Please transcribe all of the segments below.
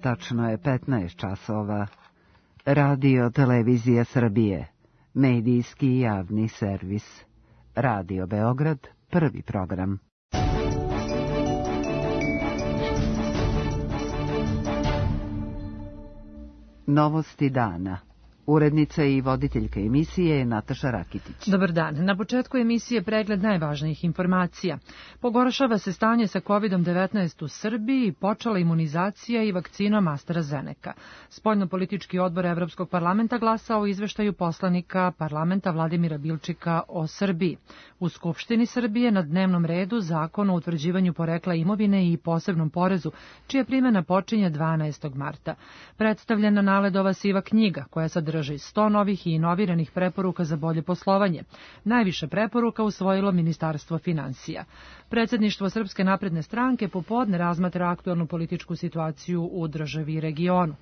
Tačno je 15 časova. Radio Televizija Srbije. Medijski javni servis. Radio Beograd, prvi program. Novosti dana. Urednica i voditeljka emisije je Nataša Rakitić. Dobar dan. Na početku emisije pregled najvažnijih informacija. Pogoršava se stanje sa COVID-19 u Srbiji i počela imunizacija i vakcinom AstraZeneca. Spoljnopolitički odbor Evropskog parlamenta glasao o izveštaju poslanika parlamenta Vladimira Bilčika o Srbiji. U Skupštini Srbije na dnevnom redu Zakon o utvrđivanju porekla imovine i posebnom porezu, čija primjena počinje 12. marta. Predstavljena Naledova siva knjiga, koja sadrži 100 novih i inoviranih preporuka za bolje poslovanje. Najviše preporuka usvojilo Ministarstvo finansija. Predsjedništvo Srpske napredne stranke popodne razmatra aktualnu političku situaciju u državi i regionu.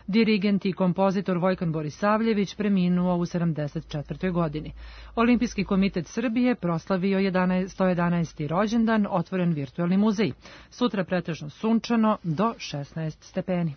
Dirigent i kompozitor Vojkan Borisavljević preminuo u 74. godini. Olimpijski komitet Srbije proslavio 111. rođendan, otvoren virtualni muzej. Sutra pretežno sunčano do 16 stepeni.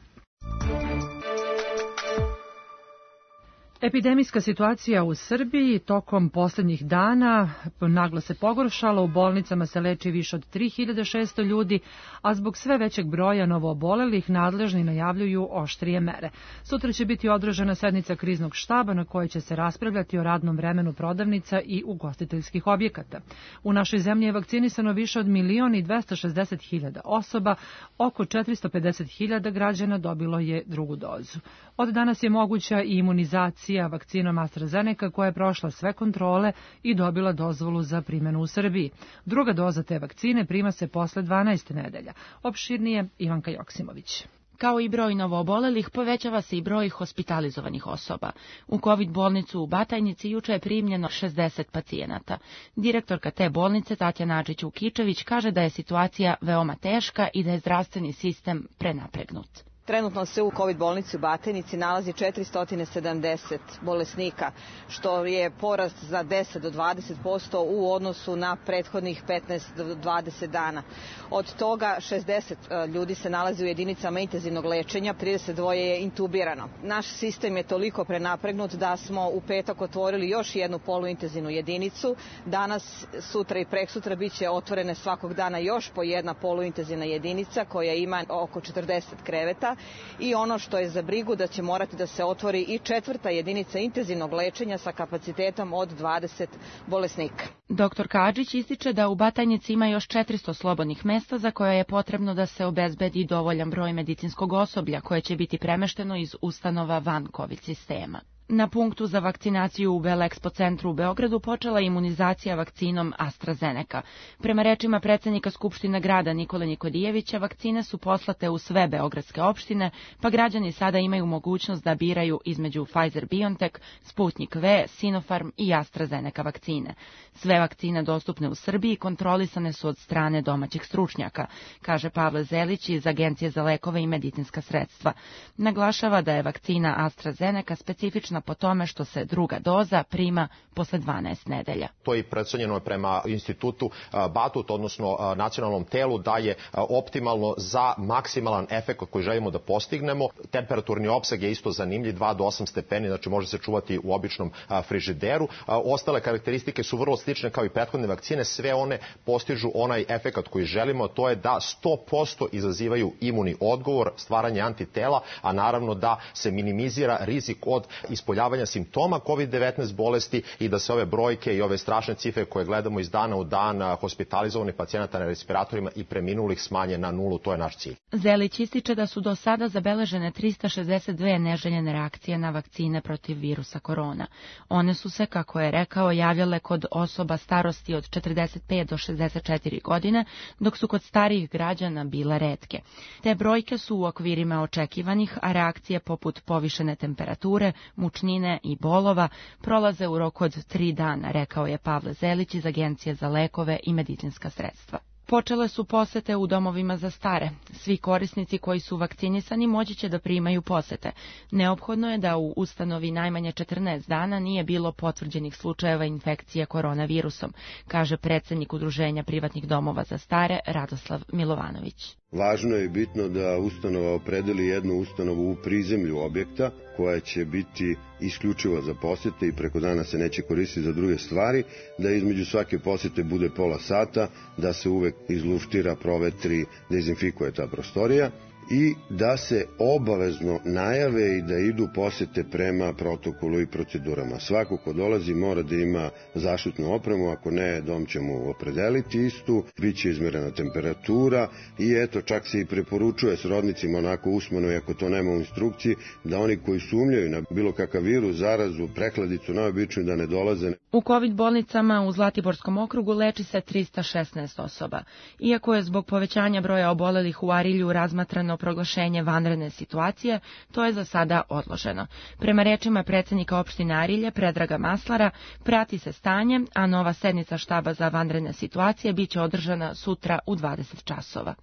Epidemijska situacija u Srbiji tokom posljednjih dana naglo se pogoršala, u bolnicama se leči više od 3600 ljudi, a zbog sve većeg broja novoobolelih nadležni najavljuju oštrije mere. Sutra će biti održana sednica kriznog štaba na kojoj će se raspravljati o radnom vremenu prodavnica i ugostiteljskih objekata. U našoj zemlji je vakcinisano više od 1.260.000 osoba, oko 450.000 građana dobilo je drugu dozu. Od danas je moguća i imunizacija vakcinom AstraZeneca koja je prošla sve kontrole i dobila dozvolu za primjenu u Srbiji. Druga doza te vakcine prima se posle 12 nedelja. Opširnije Ivanka Joksimović. Kao i broj novoobolelih, povećava se i broj hospitalizovanih osoba. U COVID bolnicu u Batajnici juče je primljeno 60 pacijenata. Direktorka te bolnice Tatjana Ačić-Vukičević kaže da je situacija veoma teška i da je zdravstveni sistem prenapregnut. Trenutno se u COVID bolnici u Batajnici nalazi 470 bolesnika, što je porast za 10 do 20% u odnosu na prethodnih 15 do 20 dana. Od toga 60 ljudi se nalazi u jedinicama intenzivnog lečenja, 32 je intubirano. Naš sistem je toliko prenapregnut da smo u petak otvorili još jednu poluintenzivnu jedinicu. Danas, sutra i preksutra bit će otvorene svakog dana još po jedna poluintenzivna jedinica koja ima oko 40 kreveta. I ono što je za brigu da će morati da se otvori i četvrta jedinica intenzivnog lečenja sa kapacitetom od 20 bolesnika. Dr. Kadžić ističe da u Batajnici ima još 400 slobodnih mesta za koje je potrebno da se obezbedi dovoljan broj medicinskog osoblja koje će biti premešteno iz ustanova van COVID sistema. Na punktu za vakcinaciju u Belexpo centru u Beogradu počela je imunizacija vakcinom AstraZeneca. Prema rečima predsjednika Skupštine grada Nikole Nikodijevića, vakcine su poslate u sve beogradske opštine, pa građani sada imaju mogućnost da biraju između Pfizer-BioNTech, Sputnik V, Sinopharm i AstraZeneca vakcine. Sve vakcine dostupne u Srbiji kontrolisane su od strane domaćih stručnjaka, kaže Pavle Zelić iz Agencije za lekove i medicinska sredstva. Naglašava da je vakcina AstraZeneca specifična po tome što se druga doza prima posle 12 nedelja. To je procenjeno prema institutu Batut, odnosno nacionalnom telu, da je optimalno za maksimalan efekt koji želimo da postignemo. Temperaturni opseg je isto zanimljiv, 2 do 8 stepeni, znači može se čuvati u običnom frižideru. Ostale karakteristike su vrlo slične kao i prethodne vakcine, sve one postižu onaj efekt koji želimo, to je da 100% izazivaju imunni odgovor, stvaranje antitela, a naravno da se minimizira rizik od ispoljavanja simptoma COVID-19 bolesti i da se ove brojke i ove strašne cifre koje gledamo iz dana u dan hospitalizovanih pacijenata na respiratorima i preminulih smanje na nulu, to je naš cilj. Zelić ističe da su do sada zabeležene 362 neželjene reakcije na vakcine protiv virusa korona. One su se, kako je rekao, javljale kod osoba starosti od 45 do 64 godine, dok su kod starijih građana bile retke. Te brojke su u okvirima očekivanih, a reakcije poput povišene temperature, mučnine i bolova prolaze u roku od 3 dana, rekao je Pavle Zelić iz Agencije za lekove i medicinska sredstva. Počele su posete u domovima za stare. Svi korisnici koji su vakcinisani moći će da primaju posete. Neophodno je da u ustanovi najmanje 14 dana nije bilo potvrđenih slučajeva infekcije koronavirusom, kaže predsjednik Udruženja privatnih domova za stare Radoslav Milovanović. Važno je i bitno da ustanova opredeli jednu ustanovu u prizemlju objekta koja će biti isključivo za posete i preko dana se neće koristiti za druge stvari, da između svake posete bude pola sata, da se uvek izluštira, provetri, dezinfikuje ta prostorija i da se obavezno najave i da idu posete prema protokolu i procedurama. Svako ko dolazi mora da ima zaštitnu opremu, ako ne, dom će mu opredeliti istu, bit će izmerena temperatura i eto, čak se i preporučuje srodnicima onako usmeno, i ako to nema u instrukciji, da oni koji sumnjaju na bilo kakav virus, zarazu, prehladicu, najobičniju da ne dolaze. U COVID bolnicama u Zlatiborskom okrugu leči se 316 osoba. Iako je zbog povećanja broja obolelih u Arilju razmatrano proglašenje vanredne situacije, to je za sada odloženo. Prema rečima predsednika opštine Arilje, Predraga Maslara, prati se stanje, a nova sednica štaba za vanredne situacije biće održana sutra u 20 časova.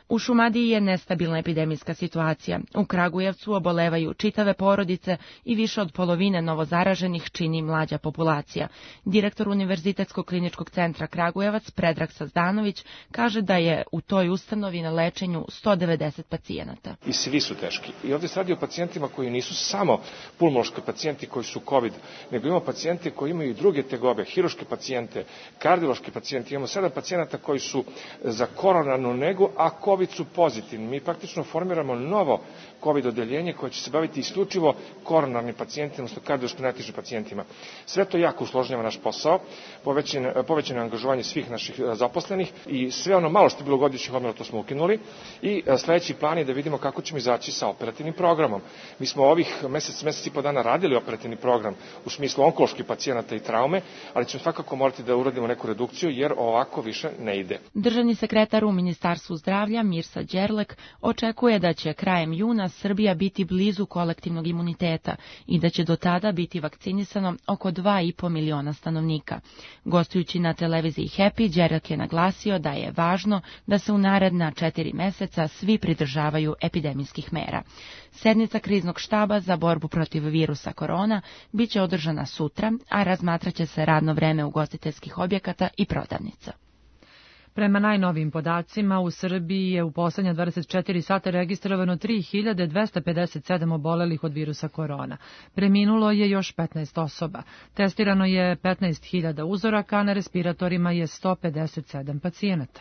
U Šumadiji je nestabilna epidemijska situacija. U Kragujevcu obolevaju čitave porodice i više od polovine novozaraženih čini mlađa populacija. Direktor Univerzitetskog kliničkog centra Kragujevac, Predrag Sazdanović, kaže da je u toj ustanovi na lečenju 190 pacijenata. I svi su teški. I ovdje se radi o pacijentima koji nisu samo pulmološki pacijenti koji su COVID, nego imamo pacijente koji imaju i druge tegobe, hiruške pacijente, kardiološki pacijenti. Imamo 7 pacijenata koji su za koronarnu negu, a COVID su pozitivni. Mi praktično formiramo novo COVID odeljenje koje će se baviti isključivo koronarnim pacijentima, odnosno kardiološki najtežim pacijentima. Sve to jako usložnjava naš posao, povećano angažovanje svih naših zaposlenih i sve ono malo što je bilo godišnjih odmora, to smo ukinuli i sledeći plan je da vidimo kako ćemo izaći sa operativnim programom. Mi smo ovih mesec i po dana radili operativni program u smislu onkoloških pacijenata i traume, ali ćemo svakako morati da uradimo neku redukciju jer ovako više ne ide. Državni sekretar u Ministarstvu zdravlja Mirsa Đerlek očekuje da će krajem juna Srbija biti blizu kolektivnog imuniteta i da će do tada biti vakcinisano oko 2,5 miliona stanovnika. Gostujući na televiziji Happy, Đerlek je naglasio da je važno da se u naredna 4 meseca svi pridržavaju epidemijskih mera. Sednica kriznog štaba za borbu protiv virusa korona biće održana sutra, a razmatraće se radno vreme ugostiteljskih objekata i prodavnica. Prema najnovijim podacima, u Srbiji je u poslednja 24 sata registrovano 3257 obolelih od virusa korona. Preminulo je još 15 osoba. Testirano je 15.000 uzoraka, a na respiratorima je 157 pacijenata.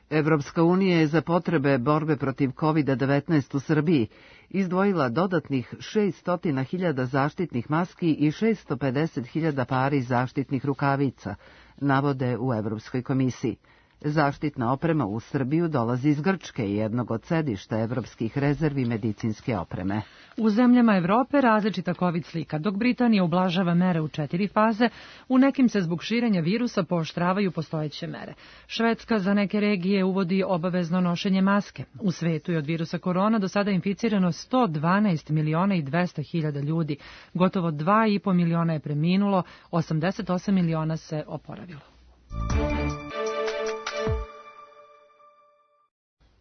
Evropska unija je za potrebe borbe protiv COVID-19 u Srbiji izdvojila dodatnih 600.000 zaštitnih maski i 650.000 pari zaštitnih rukavica, navode u Evropskoj komisiji. Zaštitna oprema u Srbiju dolazi iz Grčke, jednog od sedišta evropskih rezervi medicinske opreme. U zemljama Evrope različita COVID slika. Dok Britanija ublažava mere u 4 faze, u nekim se zbog širenja virusa pooštravaju postojeće mere. Švedska za neke regije uvodi obavezno nošenje maske. U svetu je od virusa korona do sada inficirano 112 miliona i 200 hiljada ljudi. Gotovo 2,5 miliona je preminulo, 88 miliona se oporavilo.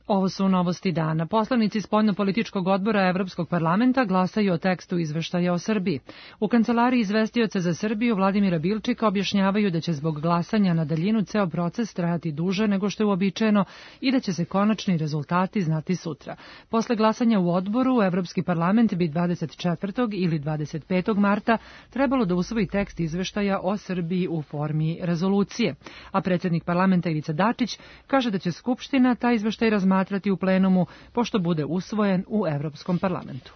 Ovo su novosti dana. Poslanici Spoljnopolitičkog odbora Evropskog parlamenta glasaju o tekstu izveštaja o Srbiji. U kancelariji izvestioca za Srbiju Vladimira Bilčika objašnjavaju da će zbog glasanja na daljinu ceo proces trajati duže nego što je uobičajeno i da će se konačni rezultati znati sutra. Posle glasanja u odboru, Evropski parlament bi 24. ili 25. marta trebalo da usvoji tekst izveštaja o Srbiji u formi rezolucije. A predsjednik parlamenta Ivica Dačić kaže da će Skupština taj izveštaj razmatrati u plenumu, pošto bude usvojen u Evropskom parlamentu.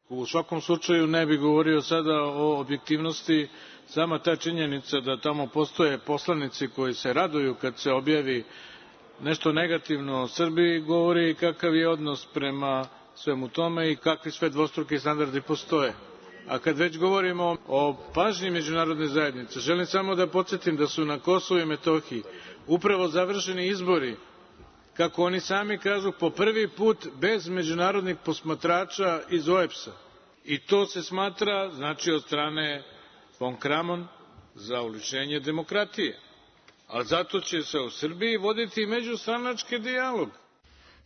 U svakom slučaju ne bih govorio sada o objektivnosti, sama ta činjenica da tamo postoje poslanici koji se raduju kad se objavi nešto negativno o Srbiji, govori kakav je odnos prema svemu tome i kakvi sve dvostruki standardi postoje. A kad već govorimo o pažnji međunarodne zajednice, želim samo da podsjetim da su na Kosovu i Metohiji upravo završeni izbori, kako oni sami kažu, po prvi put bez međunarodnih posmatrača iz OEBS-a. I to se smatra, znači, od strane von Kramon za uličenje demokratije. Ali zato će se u Srbiji voditi međustranački dijalog.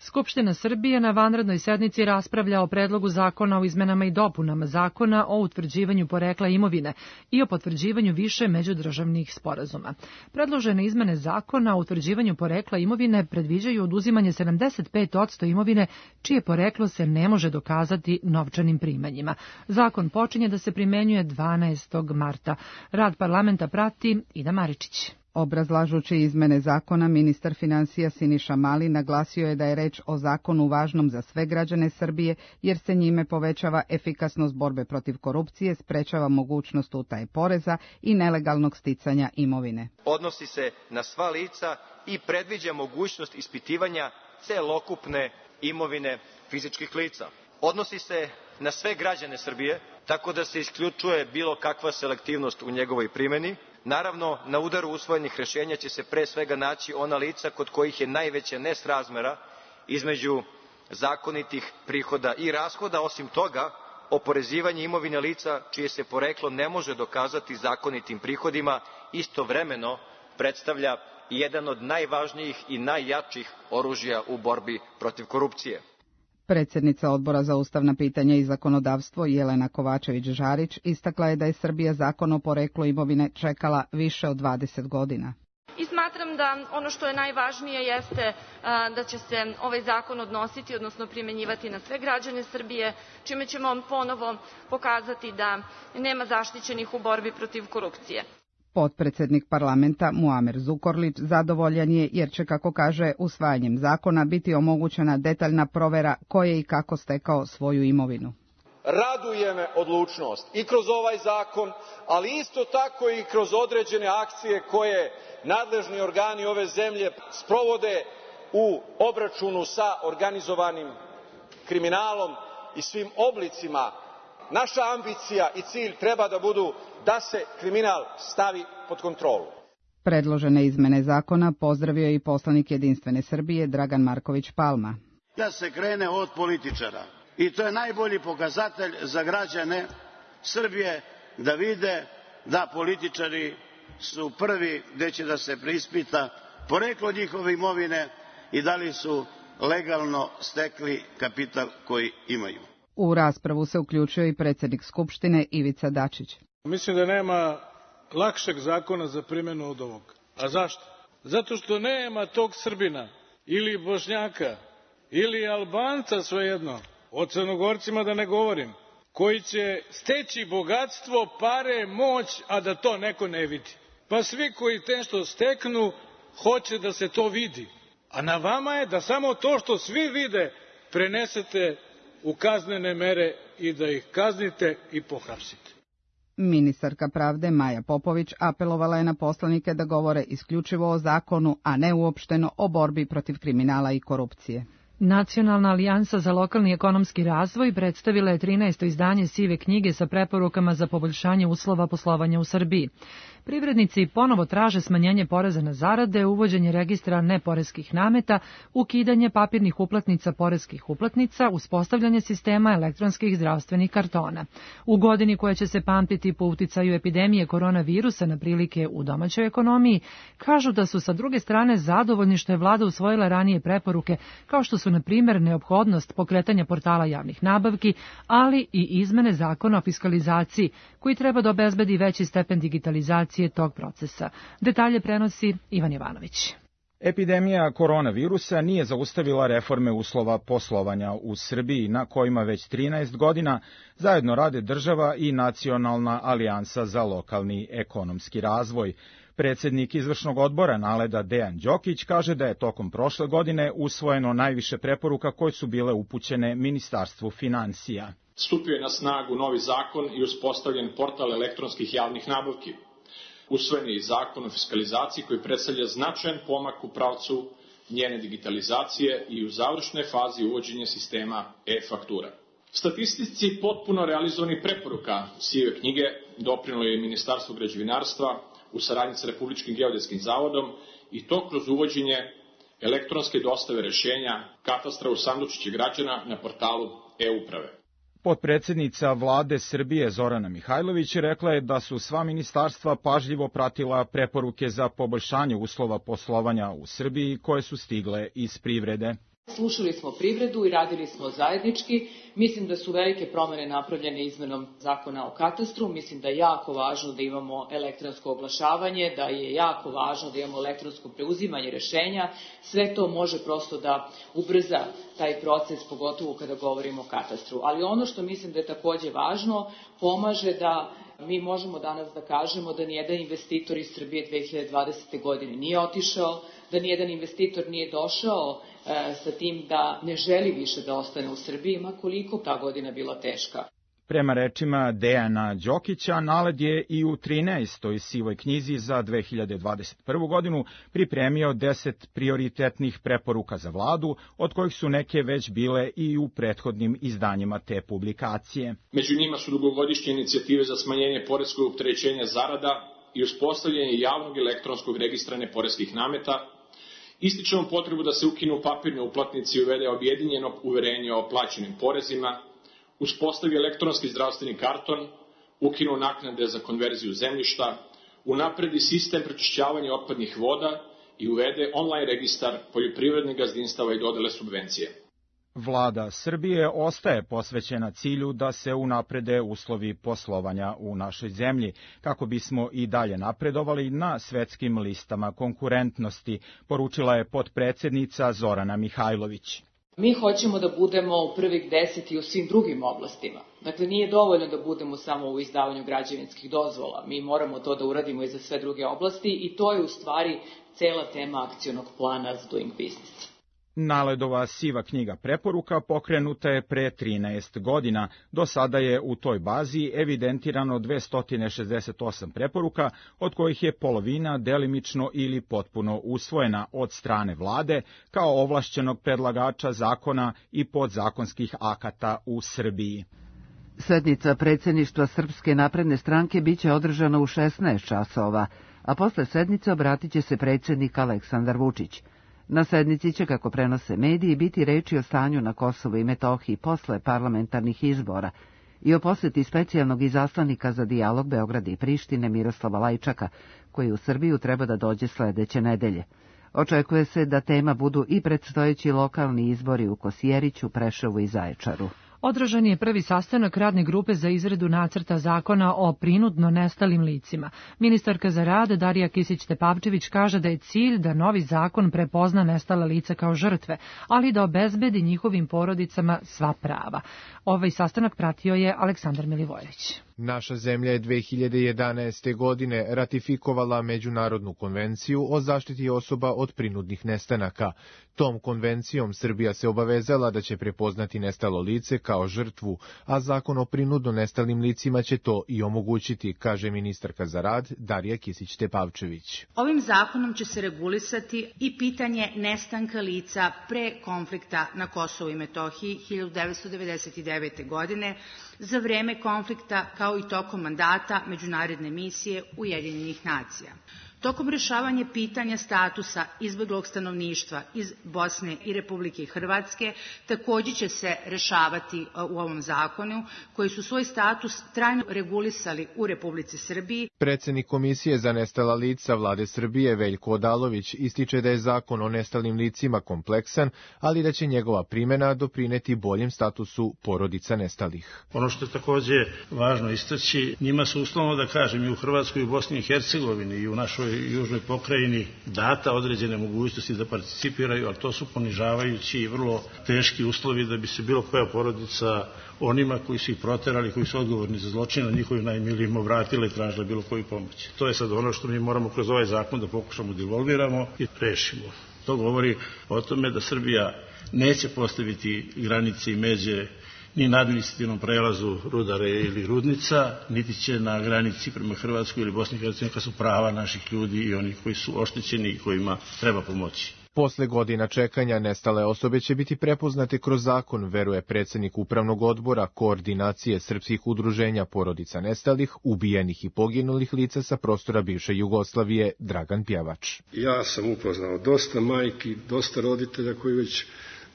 Skupština Srbije na vanrednoj sednici raspravlja o predlogu zakona o izmenama i dopunama zakona o utvrđivanju porekla imovine i o potvrđivanju više međudržavnih sporazuma. Predložene izmene zakona o utvrđivanju porekla imovine predviđaju oduzimanje 75% imovine čije poreklo se ne može dokazati novčanim primanjima. Zakon počinje da se primenjuje 12. marta. Rad parlamenta prati Ida Maričić. Obrazlažući izmene zakona, ministar finansija Siniša Mali naglasio je da je reč o zakonu važnom za sve građane Srbije, jer se njime povećava efikasnost borbe protiv korupcije, sprečava mogućnost utaje poreza i nelegalnog sticanja imovine. Odnosi se na sva lica i predviđa mogućnost ispitivanja celokupne imovine fizičkih lica. Odnosi se na sve građane Srbije, tako da se isključuje bilo kakva selektivnost u njegovoj primjeni. Naravno, na udaru usvojenih rješenja će se pre svega naći ona lica kod kojih je najveća nesrazmera između zakonitih prihoda i rashoda. Osim toga, oporezivanje imovine lica čije se poreklo ne može dokazati zakonitim prihodima istovremeno predstavlja jedan od najvažnijih i najjačih oružja u borbi protiv korupcije. Predsjednica Odbora za ustavna pitanja i zakonodavstvo Jelena Kovačević-Žarić istakla je da je Srbija zakon o poreklu imovine čekala više od 20 godina. I smatram da ono što je najvažnije jeste da će se ovaj zakon odnositi, odnosno primenjivati na sve građane Srbije, čime ćemo ponovo pokazati da nema zaštićenih u borbi protiv korupcije. Potpredsjednik parlamenta Muamer Zukorlić zadovoljan je jer će, kako kaže, usvajanjem zakona biti omogućena detaljna provera ko je i kako stekao svoju imovinu. Raduje me odlučnost i kroz ovaj zakon, ali isto tako i kroz određene akcije koje nadležni organi ove zemlje sprovode u obračunu sa organizovanim kriminalom i svim oblicima. Naša ambicija i cilj treba da budu da se kriminal stavi pod kontrolu. Predložene izmene zakona pozdravio je i poslanik Jedinstvene Srbije Dragan Marković Palma. Da se krene od političara i to je najbolji pokazatelj za građane Srbije da vide da političari su prvi gde će da se preispita poreklo njihove imovine i da li su legalno stekli kapital koji imaju. U raspravu se uključio i predsjednik Skupštine Ivica Dačić. Mislim da nema lakšeg zakona za primjenu od ovog. A zašto? Zato što nema tog Srbina ili Bošnjaka ili Albanca, svejedno, o Crnogorcima da ne govorim, koji će steći bogatstvo, pare, moć, a da to neko ne vidi. Pa svi koji nešto steknu hoće da se to vidi. A na vama je da samo to što svi vide prenesete u kaznene mere i da ih kaznite i pohapsite. Ministarka pravde Maja Popović apelovala je na poslanike da govore isključivo o zakonu, a ne uopšteno o borbi protiv kriminala i korupcije. Nacionalna alijansa za lokalni ekonomski razvoj predstavila je 13. izdanje sive knjige sa preporukama za poboljšanje uslova poslovanja u Srbiji. Privrednici ponovo traže smanjenje poreza na zarade, uvođenje registra neporeskih nameta, ukidanje papirnih uplatnica poreskih uplatnica, uspostavljanje sistema elektronskih zdravstvenih kartona. U godini koja će se pamtiti po uticaju epidemije koronavirusa na prilike u domaćoj ekonomiji, kažu da su sa druge strane zadovoljni što je vlada usvojila ranije preporuke, kao što su na primjer neophodnost pokretanja portala javnih nabavki, ali i izmene zakona o fiskalizaciji, koji treba da obezbedi veći stepen digitalizacije tog procesa. Detalje prenosi Ivan Jovanović. Epidemija koronavirusa nije zaustavila reforme uslova poslovanja u Srbiji, na kojima već 13 godina zajedno rade država i Nacionalna alijansa za lokalni ekonomski razvoj. Predsjednik izvršnog odbora NALED-a Dejan Đokić kaže da je tokom prošle godine usvojeno najviše preporuka koje su bile upućene Ministarstvu finansija. Stupio je na snagu novi zakon i uspostavljen portal elektronskih javnih nabavki. Usvojen je i zakon o fiskalizaciji koji predstavlja značajan pomak u pravcu njene digitalizacije i u završnoj fazi uvođenja sistema e-faktura. Statistici potpuno realizovanih preporuka sive knjige doprinelo je Ministarstvo građevinarstva u saradnji sa Republičkim geodetskim zavodom i to kroz uvođenje elektronske dostave rešenja katastra u sandučiće građana na portalu e-uprave. Potpredsjednica vlade Srbije Zorana Mihajlović rekla je da su sva ministarstva pažljivo pratila preporuke za poboljšanje uslova poslovanja u Srbiji koje su stigle iz privrede. Slušali smo privredu i radili smo zajednički. Mislim da su velike promene napravljene izmenom zakona o katastru. Mislim da je jako važno da imamo elektronsko oglašavanje, da je jako važno da imamo elektronsko preuzimanje rešenja. Sve to može prosto da ubrza taj proces, pogotovo kada govorimo o katastru. Ali ono što mislim da je takođe važno, pomaže da mi možemo danas da kažemo da nijedan investitor iz Srbije 2020. godine nije otišao, da nijedan investitor nije došao sa tim da ne želi više da ostane u Srbiji, ma koliko ta godina bila teška. Prema rečima Dejana Đokića, NALED je i u 13. sivoj knjizi za 2021. godinu pripremio 10 prioritetnih preporuka za vladu, od kojih su neke već bile i u prethodnim izdanjima te publikacije. Među njima su dugogodišnje inicijative za smanjenje poreskog opterećenja zarada i uspostavljanje javnog elektronskog registra neporeskih nameta. Ističemo potrebu da se ukinu papirne uplatnice i uvede objedinjeno uverenje o plaćenim porezima, uspostavi elektronski zdravstveni karton, ukinu naknade za konverziju zemljišta, unapredi sistem prečišćavanja otpadnih voda i uvede online registar poljoprivrednih gazdinstava i dodele subvencije. Vlada Srbije ostaje posvećena cilju da se unaprede uslovi poslovanja u našoj zemlji, kako bismo i dalje napredovali na svetskim listama konkurentnosti, poručila je potpredsednica Zorana Mihajlović. Mi hoćemo da budemo u prvih 10 i u svim drugim oblastima. Dakle, nije dovoljno da budemo samo u izdavanju građevinskih dozvola. Mi moramo to da uradimo i za sve druge oblasti i to je u stvari cela tema akcionog plana za Doing Business. NALED-ova siva knjiga preporuka pokrenuta je pre 13 godina. Do sada je u toj bazi evidentirano 268 preporuka, od kojih je polovina delimično ili potpuno usvojena od strane vlade kao ovlašćenog predlagača zakona i podzakonskih akata u Srbiji. Sednica predsjedništva Srpske napredne stranke biće održana u 16 časova, a posle sednice obratit će se predsjednik Aleksandar Vučić. Na sednici će, kako prenose mediji, biti reči o stanju na Kosovu i Metohiji posle parlamentarnih izbora i o poseti specijalnog izaslanika za dijalog Beograda i Prištine Miroslava Lajčaka, koji u Srbiju treba da dođe sledeće nedelje. Očekuje se da tema budu i predstojeći lokalni izbori u Kosjeriću, Preševu i Zaječaru. Održan je prvi sastanak radne grupe za izradu nacrta zakona o prinudno nestalim licima. Ministarka za rad Darija Kisić-Tepavčević kaže da je cilj da novi zakon prepozna nestala lica kao žrtve, ali da obezbedi njihovim porodicama sva prava. Ovaj sastanak pratio je Aleksandar Milivojević. Naša zemlja je 2011. godine ratifikovala Međunarodnu konvenciju o zaštiti osoba od prinudnih nestanaka. Tom konvencijom Srbija se obavezala da će prepoznati nestalo lice kao žrtvu, a zakon o prinudno nestalim licima će to i omogućiti, kaže ministarka za rad Darija Kisić-Tepavčević. Ovim zakonom će se regulisati i pitanje nestanka lica pre konflikta na Kosovu i Metohiji 1999. godine, za vreme konflikta kao i tokom mandata međunarodne misije Ujedinjenih nacija. Tokom rešavanja pitanja statusa izbeglog stanovništva iz Bosne i Republike Hrvatske takođe će se rešavati u ovom zakonu, koji su svoj status trajno regulisali u Republici Srbiji. Predsednik Komisije za nestala lica Vlade Srbije Veljko Odalović ističe da je zakon o nestalim licima kompleksan, ali da će njegova primena doprineti boljem statusu porodica nestalih. Ono što je takođe važno istaći, njima su uslovno da kažem i u Hrvatskoj i u Bosni i Hercegovini i u našoj južnoj pokrajini data određene mogućnosti da participiraju, ali to su ponižavajući i vrlo teški uslovi da bi se bilo koja porodica onima koji su ih proterali, koji su odgovorni za zločin, na njihovim najmilijim obratile i tražile bilo koju pomoć. To je sad ono što mi moramo kroz ovaj zakon da pokušamo da involviramo i rešimo. To govori o tome da Srbija neće postaviti granice i međe ni na administrativnom prelazu Rudare ili Rudnica, niti će na granici prema Hrvatskoj ili Bosni i Hercegovini, kad su prava naših ljudi i onih koji su oštećeni i kojima treba pomoći. Posle godina čekanja nestale osobe će biti prepoznate kroz zakon, veruje predsednik Upravnog odbora Koordinacije srpskih udruženja porodica nestalih, ubijenih i poginulih lica sa prostora bivše Jugoslavije, Dragan Pjevač. Ja sam upoznao dosta majki, dosta roditelja koji već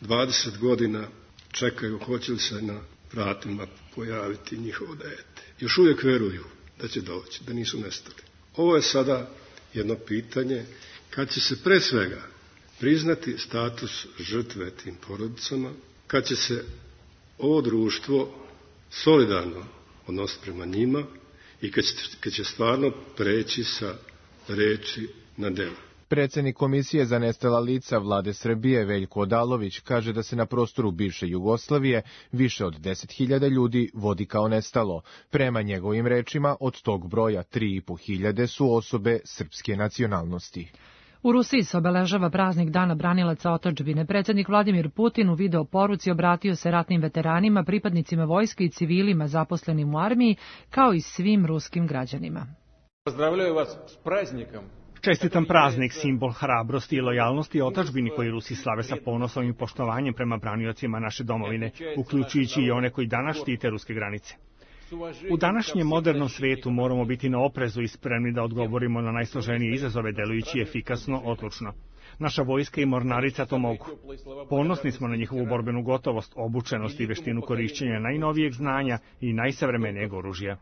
20 godina čekaju hoće li se na vratima pojaviti njihovo dete. Još uvijek veruju da će doći, da nisu nestali. Ovo je sada jedno pitanje kad će se pre svega priznati status žrtve tim porodicama, kad će se ovo društvo solidarno odnositi prema njima i kad će stvarno preći sa reči na dela. Predsednik Komisije za nestala lica Vlade Srbije Veljko Odalović kaže da se na prostoru bivše Jugoslavije više od 10.000 ljudi vodi kao nestalo. Prema njegovim rečima, od tog broja 3.500 su osobe srpske nacionalnosti. U Rusiji se obeležava praznik Dana branilaca otadžbine. Predsednik Vladimir Putin u video poruci obratio se ratnim veteranima, pripadnicima vojske i civilima zaposlenim u armiji, kao i svim ruskim građanima. Pozdravljaju vas s praznikom. Čestitam praznik, simbol hrabrosti i lojalnosti otadžbini koji Rusi slave sa ponosom i poštovanjem prema braniocima naše domovine, uključujući i one koji danas štite ruske granice. U današnjem modernom svetu moramo biti na oprezu i spremni da odgovorimo na najsloženije izazove delujući efikasno, odlučno. Naša vojska i mornarica to mogu. Ponosni smo na njihovu borbenu gotovost, obučenost i veštinu korišćenja najnovijeg znanja i najsavremenijeg oružja.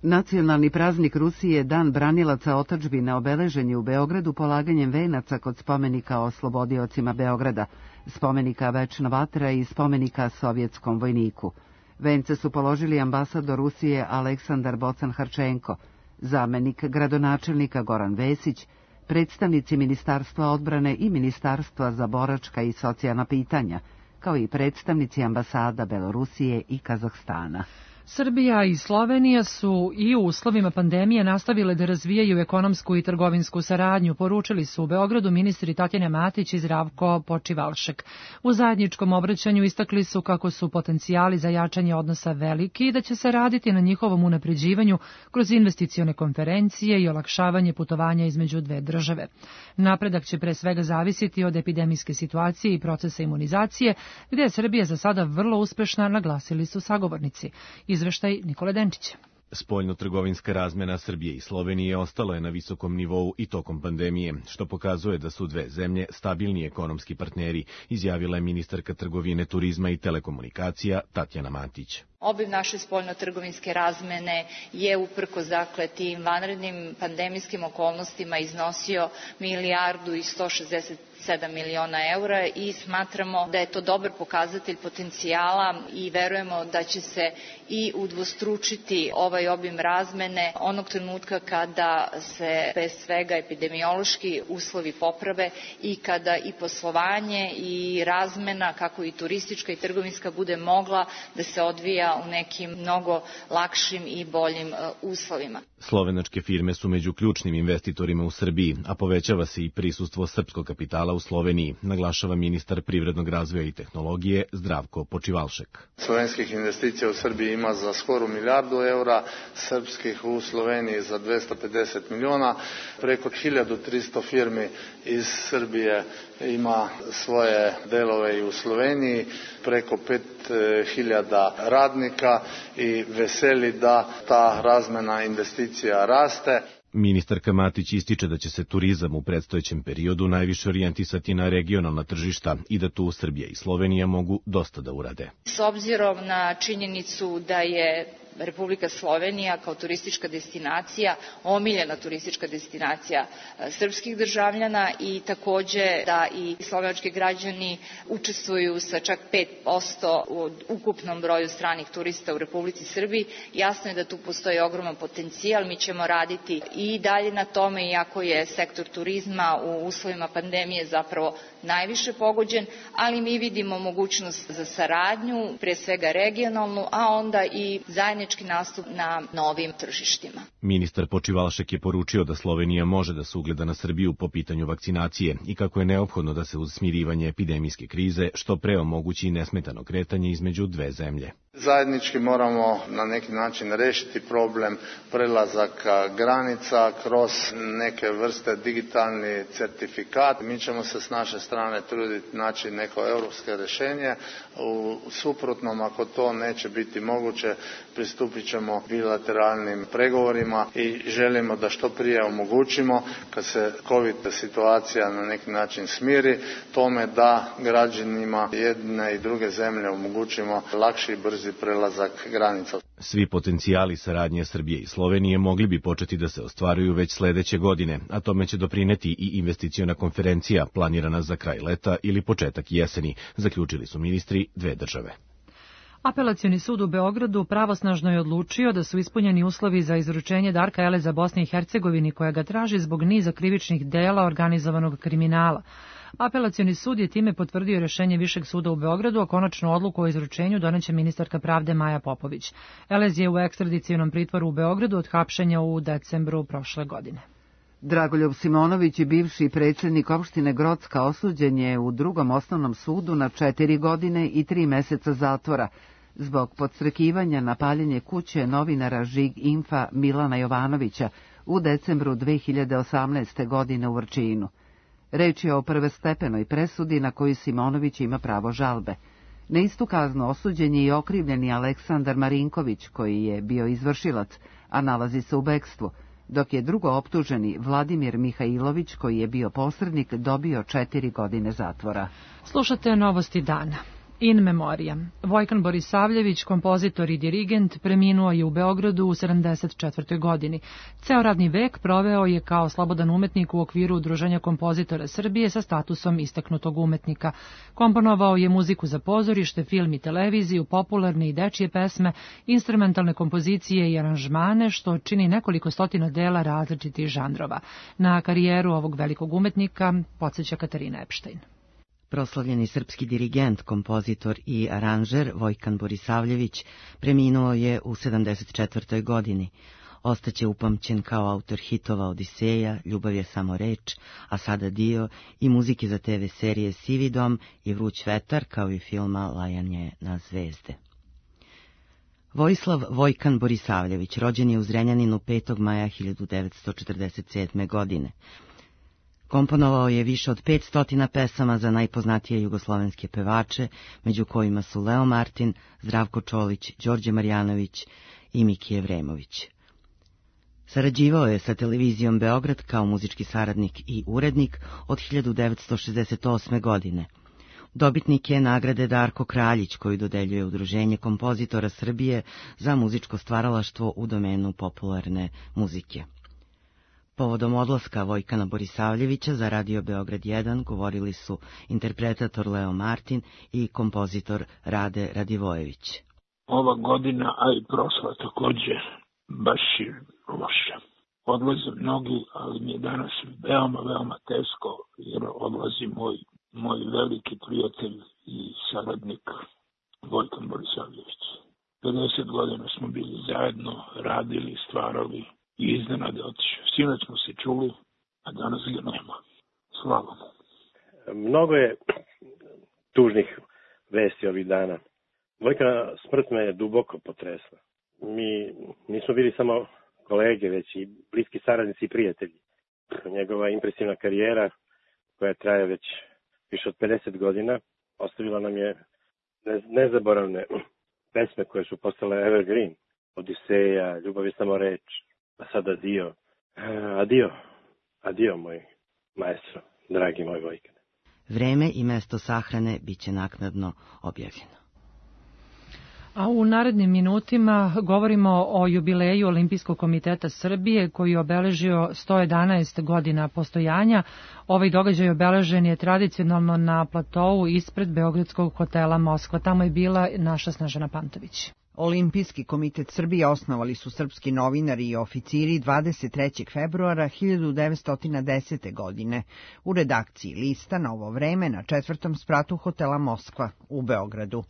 Nacionalni praznik Rusije, Dan branilaca otadžbine, obeležen je u Beogradu polaganjem venaca kod spomenika oslobodiocima Beograda, spomenika Večna vatra i spomenika sovjetskom vojniku. Vence su položili ambasador Rusije Aleksandar Bocan-Harčenko, zamenik gradonačelnika Goran Vesić, predstavnici Ministarstva odbrane i Ministarstva za boračka i socijalna pitanja, kao i predstavnici ambasada Belorusije i Kazahstana. Srbija i Slovenija su i u uslovima pandemije nastavile da razvijaju ekonomsku i trgovinsku saradnju, poručili su u Beogradu ministri Tatjana Matić i Zdravko Počivalšek. U zajedničkom obraćanju istakli su kako su potencijali za jačanje odnosa veliki i da će se raditi na njihovom unapređivanju kroz investicione konferencije i olakšavanje putovanja između dve države. Napredak će pre svega zavisiti od epidemijske situacije i procesa imunizacije, gde je Srbija za sada vrlo uspešna, naglasili su sagovornici. Izveštaj Nikole Denčića. Spoljno-trgovinska razmena Srbije i Slovenije ostala je na visokom nivou i tokom pandemije, što pokazuje da su dve zemlje stabilni ekonomski partneri, izjavila je ministarka trgovine, turizma i telekomunikacija Tatjana Matić. Obim naše spoljno-trgovinske razmene je uprkos tim vanrednim pandemijskim okolnostima iznosio 1.167 miliona eura i smatramo da je to dobar pokazatelj potencijala i verujemo da će se i udvostručiti ovaj obim razmene onog trenutka kada se bez svega epidemiološki uslovi poprave i kada i poslovanje i razmena, kako i turistička i trgovinska, bude mogla da se odvija u nekim mnogo lakšim i boljim uslovima. Slovenačke firme su među ključnim investitorima u Srbiji, a povećava se i prisustvo srpskog kapitala u Sloveniji, naglašava ministar privrednog razvoja i tehnologije Zdravko Počivalšek. Slovenskih investicija u Srbiji ima za skoro 1 milijardu eura, srpskih u Sloveniji za 250 miliona, preko 1300 firmi iz Srbije ima svoje delove i u Sloveniji, preko 5000 radnika i veseli da ta razmena investicija raste. Ministarka Matić ističe da će se turizam u predstojećem periodu najviše orijentisati na regionalna tržišta i da tu Srbija i Slovenija mogu dosta da urade. S obzirom na činjenicu da je Republika Slovenija kao turistička destinacija, omiljena turistička destinacija srpskih državljana i takođe da i slovenački građani učestvuju sa čak 5% u ukupnom broju stranih turista u Republici Srbiji, jasno je da tu postoji ogroman potencijal. Mi ćemo raditi i dalje na tome, iako je sektor turizma u uslovima pandemije zapravo najviše pogođen, ali mi vidimo mogućnost za saradnju, pre svega regionalnu, a onda i zajednički nastup na novim tržištima. Ministar Počivalšek je poručio da Slovenija može da se ugleda na Srbiju po pitanju vakcinacije i kako je neophodno da se uz smirivanje epidemijske krize što pre omogući nesmetano kretanje između dve zemlje. Zajednički moramo na neki način rešiti problem prelazaka granica kroz neke vrste digitalni certifikat. Mi ćemo se s naše strane truditi naći neko evropsko rešenje. U suprotnom, ako to neće biti moguće, pristupit ćemo bilateralnim pregovorima i želimo da što prije omogućimo, kad se COVID situacija na neki način smiri, tome da građanima jedne i druge zemlje omogućimo lakši i brzi prelazak granica. Svi potencijali saradnje Srbije i Slovenije mogli bi početi da se ostvaruju već sledeće godine, a tome će doprineti i investiciona konferencija planirana za kraj leta ili početak jeseni, zaključili su ministri dve države. Apelacioni sud u Beogradu pravosnažno je odlučio da su ispunjeni uslovi za izručenje Darka Eleza Bosni i Hercegovini, koja ga traži zbog niza krivičnih dela organizovanog kriminala. Apelacioni sud je time potvrdio rešenje Višeg suda u Beogradu, a konačnu odluku o izručenju doneće ministarka pravde Maja Popović. Elez je u ekstradicionom pritvoru u Beogradu od hapšenja u decembru prošle godine. Dragoljub Simonović, bivši predsjednik opštine Grocka, osuđen je u Drugom osnovnom sudu na 4 godine i 3 meseca zatvora zbog podstrekivanja na paljenje kuće novinara Žig Infa Milana Jovanovića u decembru 2018. godine u Vrčinu. Reč je o prvostepenoj presudi na koju Simonović ima pravo žalbe. Na istu kaznu osuđen je i okrivljeni Aleksandar Marinković, koji je bio izvršilac, a nalazi se u bekstvu, dok je drugo optuženi Vladimir Mihajlović, koji je bio posrednik, dobio 4 godine zatvora. Slušate novosti dana. In memoriam. Vojkan Borisavljević, kompozitor i dirigent, preminuo je u Beogradu u 74. godini. Ceo radni vek proveo je kao slobodan umetnik u okviru Udruženja kompozitora Srbije sa statusom istaknutog umetnika. Komponovao je muziku za pozorište, film i televiziju, popularne i dečije pesme, instrumentalne kompozicije i aranžmane, što čini nekoliko stotina dela različitih žanrova. Na karijeru ovog velikog umetnika podsjeća Katarina Epštajn. Proslavljeni srpski dirigent, kompozitor i aranžer Vojkan Borisavljević preminuo je u 74. godini. Ostaće upamćen kao autor hitova Odiseja, Ljubav je samo reč, a sada dio i muzike za TV serije Sivi dom i Vruć vetar, kao i filma Lajanje na zvezde. Vojislav Vojkan Borisavljević rođen je u Zrenjaninu 5. maja 1947. godine. Komponovao je više od 500 pesama za najpoznatije jugoslovenske pevače, među kojima su Leo Martin, Zdravko Čolić, Đorđe Marjanović i Miki Evremović. Sarađivao je sa televizijom Beograd kao muzički saradnik i urednik od 1968. godine. Dobitnik je nagrade Darko Kraljić, koju dodeljuje Udruženje kompozitora Srbije za muzičko stvaralaštvo u domenu popularne muzike. Povodom odlaska Vojkana Borisavljevića za Radio Beograd 1 govorili su interpretator Leo Martin i kompozitor Rade Radivojević. Ova godina, a i prošla takođe, baš je loša. Odlaze mnogi, ali mi je danas veoma teško, jer odlazi moj veliki prijatelj i saradnik Vojkan Borisavljević. 50 godina smo bili zajedno, radili, stvarali, i iznenade otišao. Sinoć smo se čuli, a danas ga nema. Slava mu. Mnogo je tužnih vesti ovih dana. Vojkana smrt me je duboko potresla. Mi nismo bili samo kolege, već i bliski saradnici i prijatelji. Njegova impresivna karijera, koja traje već više od 50 godina, ostavila nam je nezaboravne pesme koje su postale evergreen. Odiseja, Ljubav je samo reč. A sada adio moj maestro, dragi moj Vojkan. Vreme i mesto sahrane biće naknadno objavljeno. A u narednim minutima govorimo o jubileju Olimpijskog komiteta Srbije, koji je obeležio 111 godina postojanja. Ovaj događaj obeležen je tradicionalno na platou ispred Beogradskog hotela Moskva. Tamo je bila naša Snežana Pantović. Olimpijski komitet Srbije osnovali su srpski novinari i oficiri 23. februara 1910. godine u redakciji lista Novo vreme na 4. spratu hotela Moskva u Beogradu.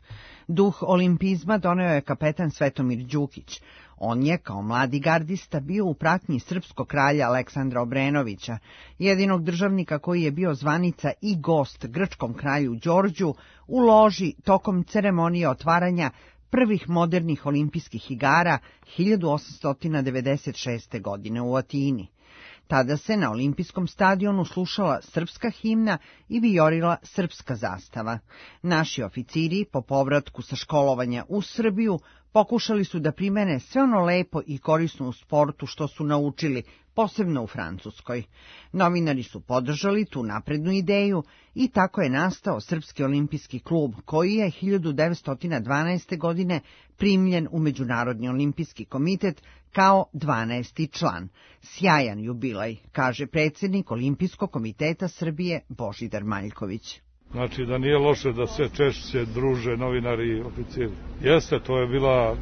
Duh olimpizma doneo je kapetan Svetomir Đukić. On je, kao mladi gardista, bio u pratnji srpskog kralja Aleksandra Obrenovića, jedinog državnika koji je bio zvanica i gost grčkom kralju Đorđu u loži tokom ceremonije otvaranja prvih modernih olimpijskih igara 1896. godine u Atini. Tada se na olimpijskom stadionu slušala srpska himna i vijorila srpska zastava. Naši oficiri po povratku sa školovanja u Srbiju Pokušali su da primene sve ono lepo i korisno u sportu što su naučili, posebno u Francuskoj. Novinari su podržali tu naprednu ideju i tako je nastao Srpski olimpijski klub, koji je 1912. godine primljen u Međunarodni olimpijski komitet kao 12. član. Sjajan jubilej, kaže predsjednik Olimpijskog komiteta Srbije Božidar Maljković. Znači da nije loše da se češće druže novinari i oficiri. Jeste, to je bila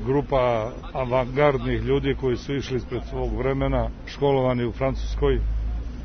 grupa avangardnih ljudi koji su išli ispred svog vremena, školovani u Francuskoj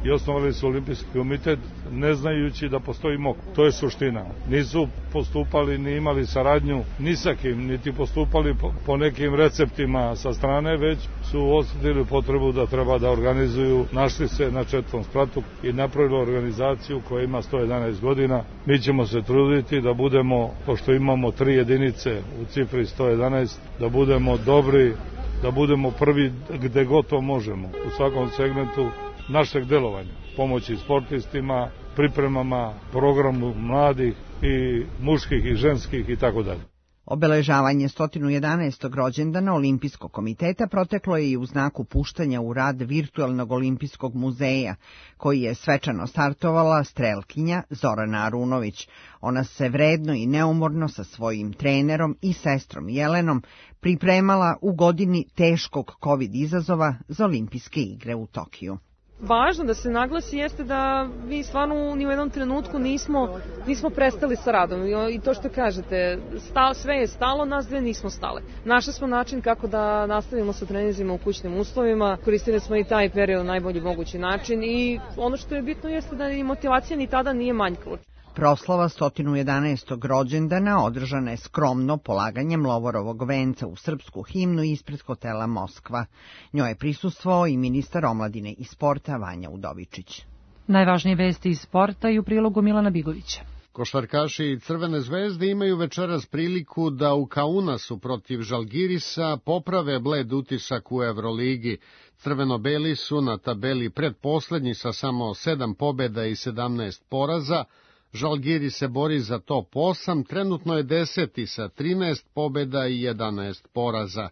i osnovali su olimpijski komitet ne znajući da postoji MOK. To je suština. Nisu postupali ni imali saradnju ni sa kim, niti postupali po nekim receptima sa strane, već su osjetili potrebu da treba da organizuju, našli se na 4. spratu i napravili organizaciju koja ima 111 godina. Mi ćemo se truditi da budemo, pošto imamo 3 jedinice u cifri 111, da budemo dobri, da budemo prvi gde god to možemo, u svakom segmentu našeg delovanja, pomoći sportistima, pripremama, programu mladih i muških i ženskih i tako dalje. Obeležavanje 111. rođendana Olimpijskog komiteta proteklo je i u znaku puštanja u rad virtualnog olimpijskog muzeja, koji je svečano startovala strelkinja Zorana Arunović. Ona se vredno i neumorno sa svojim trenerom i sestrom Jelenom pripremala u godini teškog COVID izazova za olimpijske igre u Tokiju. Važno da se naglasi jeste da mi stvarno ni u jednom trenutku nismo prestali sa radom i to što kažete, sve je stalo, nas dve nismo stale. Našli smo način kako da nastavimo sa treninzima u kućnim uslovima, koristili smo i taj period na najbolji mogući način i ono što je bitno jeste da i motivacija ni tada nije manjkala. Proslava 111. rođendana održana je skromno polaganjem Lovorovog venca u srpsku himnu ispred hotela Moskva. Njoj je prisustvovao i ministar omladine i sporta Vanja Udovičić. Najvažnije vesti iz sporta i u prilogu Milana Bigovića. Košarkaši Crvene zvezde imaju večeras priliku da u Kaunasu protiv Žalgirisa poprave bled utisak u Evroligi. Crveno-beli su na tabeli predposlednji sa samo 7 pobjeda i 17 poraza. Žalgiris se bori za top 8, trenutno je 10. sa 13 pobjeda i 11 poraza.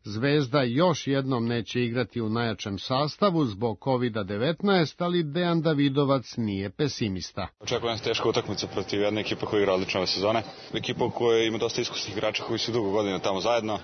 Zvezda još jednom neće igrati u najjačem sastavu zbog COVID-19, ali Dejan Davidovac nije pesimista. Očekujem se teška utakmica protiv jedne ekipe koja igra odlično ove sezone. Ekipa koja ima dosta iskusnih igrača koji su dugo godina tamo zajedno.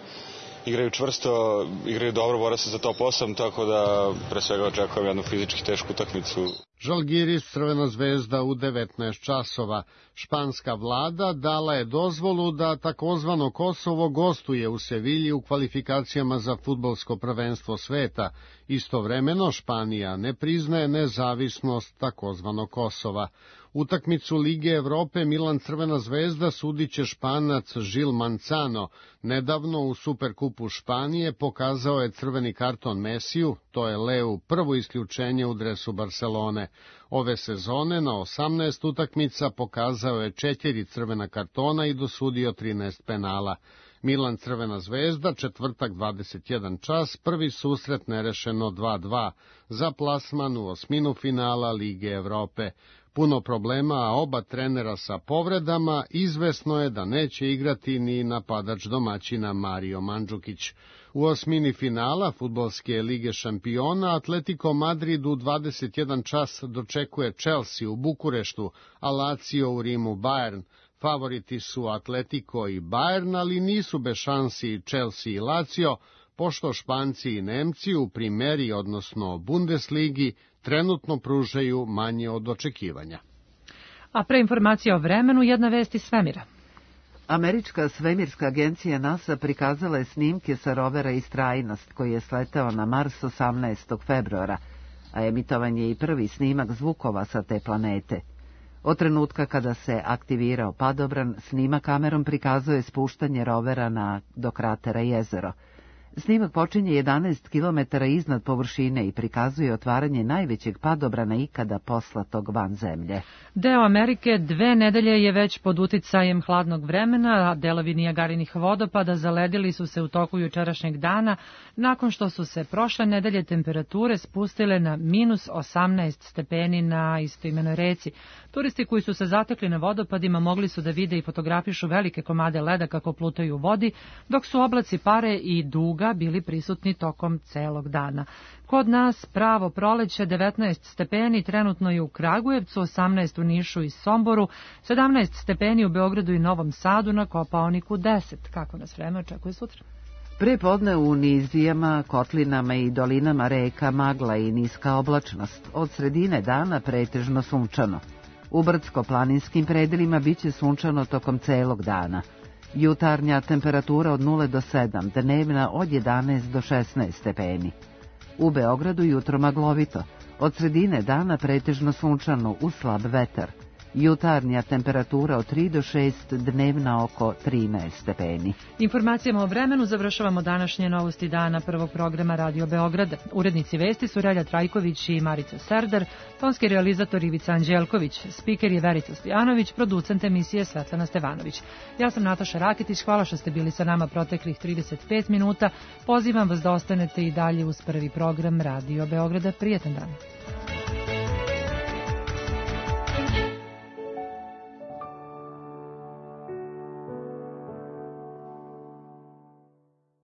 Igraju čvrsto, igraju dobro, bore se za top 8, tako da pre svega očekujem jednu fizički tešku utakmicu. Žalgiris Crvena zvezda u 19 časova. Španska vlada dala je dozvolu da takozvano Kosovo gostuje u Sevilji u kvalifikacijama za fudbalsko prvenstvo sveta. Istovremeno Španija ne priznaje nezavisnost takozvanog Kosova. Utakmicu Lige Evrope Milan Crvena zvezda sudiće Španac Žil Mancano. Nedavno u Superkupu Španije pokazao je crveni karton Mesiju, to je Leu prvo isključenje u dresu Barcelone. Ove sezone na 18 utakmica pokazao je 4 crvena kartona i dosudio 13 penala. Milan Crvena zvezda, četvrtak 21 čas, prvi susret nerešeno 2-2 za plasman u osminu finala Lige Evrope. Puno problema, a oba trenera sa povredama, izvesno je da neće igrati ni napadač domaćina Mario Mandžukić. U osmini finala fudbalske lige šampiona Atletico Madrid u 21 čas dočekuje Chelsea u Bukureštu, a Lazio u Rimu Bayern. Favoriti su Atletico i Bayern, ali nisu bez šansi Chelsea i Lazio, pošto Španci i Nemci u primeri, odnosno Bundesligi, trenutno pružaju manje od očekivanja. A pre informacija o vremenu, jedna vest iz svemira. Američka svemirska agencija NASA prikazala je snimke sa rovera Istrajnost, koji je sleteo na Mars 18. februara, a emitovan je i prvi snimak zvukova sa te planete. Od trenutka kada se aktivirao padobran, snimak kamerom prikazuje spuštanje rovera do kratera Jezero. Snimak počinje 11 km iznad površine i prikazuje otvaranje najvećeg padobrana ikada poslatog van zemlje. Deo Amerike 2 nedelje je već pod uticajem hladnog vremena, a delovi Nijagarinih vodopada zaledili su se u toku jučerašnjeg dana, nakon što su se prošle nedelje temperature spustile na minus 18 stepeni na istoimenoj reci. Turisti koji su se zatekli na vodopadima mogli su da vide i fotografišu velike komade leda kako plutaju u vodi, dok su oblaci pare i duga bili prisutni tokom celog dana. Kod nas pravo proleće 19 stepeni, trenutno je u Kragujevcu, 18 u Nišu i Somboru, 17 stepeni u Beogradu i Novom Sadu, na Kopaoniku 10. Kako nas vreme očekuje sutra? Pre podne u nizijama, kotlinama i dolinama reka magla i niska oblačnost. Od sredine dana pretežno sunčano. U brdsko-planinskim predelima biće sunčano tokom celog dana. Jutarnja temperatura od 0 do 7, dnevna od 11 do 16 stepeni. U Beogradu jutro maglovito, od sredine dana pretežno sunčano uz slab vetar. Jutarnja temperatura od 3 do 6, dnevna oko 13 stepeni. Informacijama o vremenu završavamo današnje novosti dana prvog programa Radio Beograda. Urednici vesti su Relja Trajković i Marica Serdar, tonski realizator Ivica Anđelković, spiker je Verica Stojanović, producent emisije Svetlana Stevanović. Ja sam Nataša Rakitić, hvala što ste bili sa nama proteklih 35 minuta. Pozivam vas da ostanete i dalje uz prvi program Radio Beograda. Prijetan dan.